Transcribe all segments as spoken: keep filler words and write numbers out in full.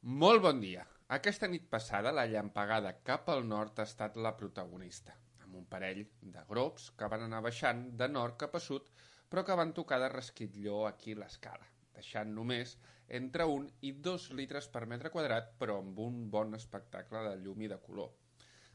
Molt bon dia. Aquesta nit passada la llampegada cap al nord ha estat la protagonista, amb un parell de grops que van anar baixant de nord cap a sud, però que van tocar de resquitlló aquí l'escala, deixant només entre un i dos litres per metre quadrat, però amb un bon espectacle de llum i de color.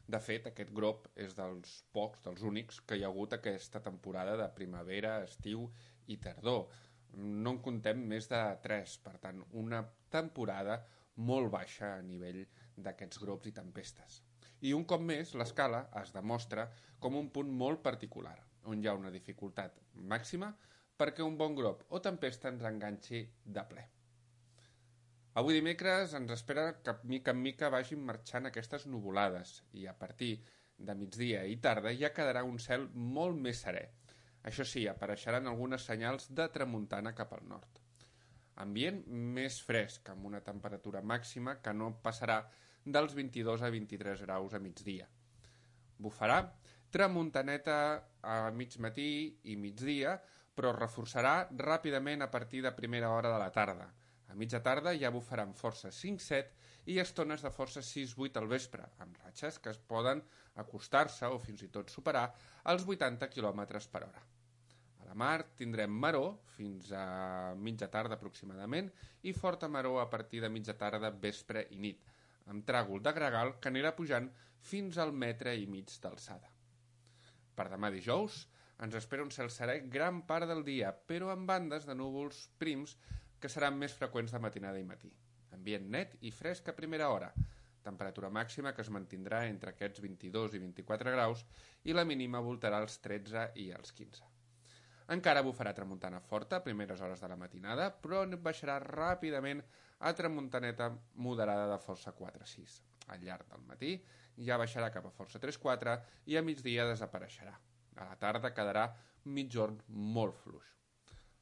De fet, aquest grop és dels pocs, dels únics, que hi ha hagut aquesta temporada de primavera, estiu i tardor. No en contem més de tres, per tant, una temporada molt baixa a nivell d'aquests grops i tempestes. I un cop més, l'escala es demostra com un punt molt particular, on hi ha una dificultat màxima perquè un bon grop o tempesta ens enganxi de ple. Avui dimecres ens espera que mica en mica vagin marxant aquestes nuvolades i a partir de migdia i tarda ja quedarà un cel molt més serè. Això sí, apareixeran algunes senyals de tramuntana cap al nord. Ambient més fresc, amb una temperatura màxima que no passarà dels vint-i-dos a vint-i-tres graus a migdia. Bufarà tramuntaneta a mig matí i migdia, però reforçarà ràpidament a partir de primera hora de la tarda. A mitja tarda ja bufaran força cinc set i estones de força sis vuit al vespre, amb ratxes que es poden acostar-se o fins i tot superar els vuitanta quilòmetres per hora. A la mar tindrem maror fins a mitja tarda aproximadament i forta maror a partir de mitja tarda, vespre i nit, amb tràgol de gregal que anirà pujant fins al metre i mig d'alçada. Per demà dijous ens espera un cel serè gran part del dia, però amb bandes de núvols prims que seran més freqüents de matinada i matí. Ambient net i fresc a primera hora, temperatura màxima que es mantindrà entre aquests vint-i-dos i vint-i-quatre graus i la mínima voltarà als tretze i als quinze. Encara bufarà tramuntana forta a primeres hores de la matinada, però baixarà ràpidament a tramuntaneta moderada de força quatre sis. Al llarg del matí ja baixarà cap a força tres quatre i a migdia desapareixerà. A la tarda quedarà migjorn molt fluix.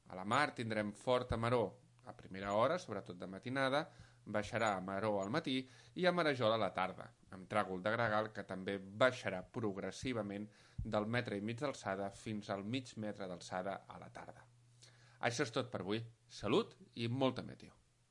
A la mar tindrem forta maror a primera hora, sobretot de matinada, baixarà a maror al matí i a marejol a la tarda, amb tràgol de gregal que també baixarà progressivament del metre i mig d'alçada fins al mig metre d'alçada a la tarda. Això és tot per avui. Salut i molta meteo.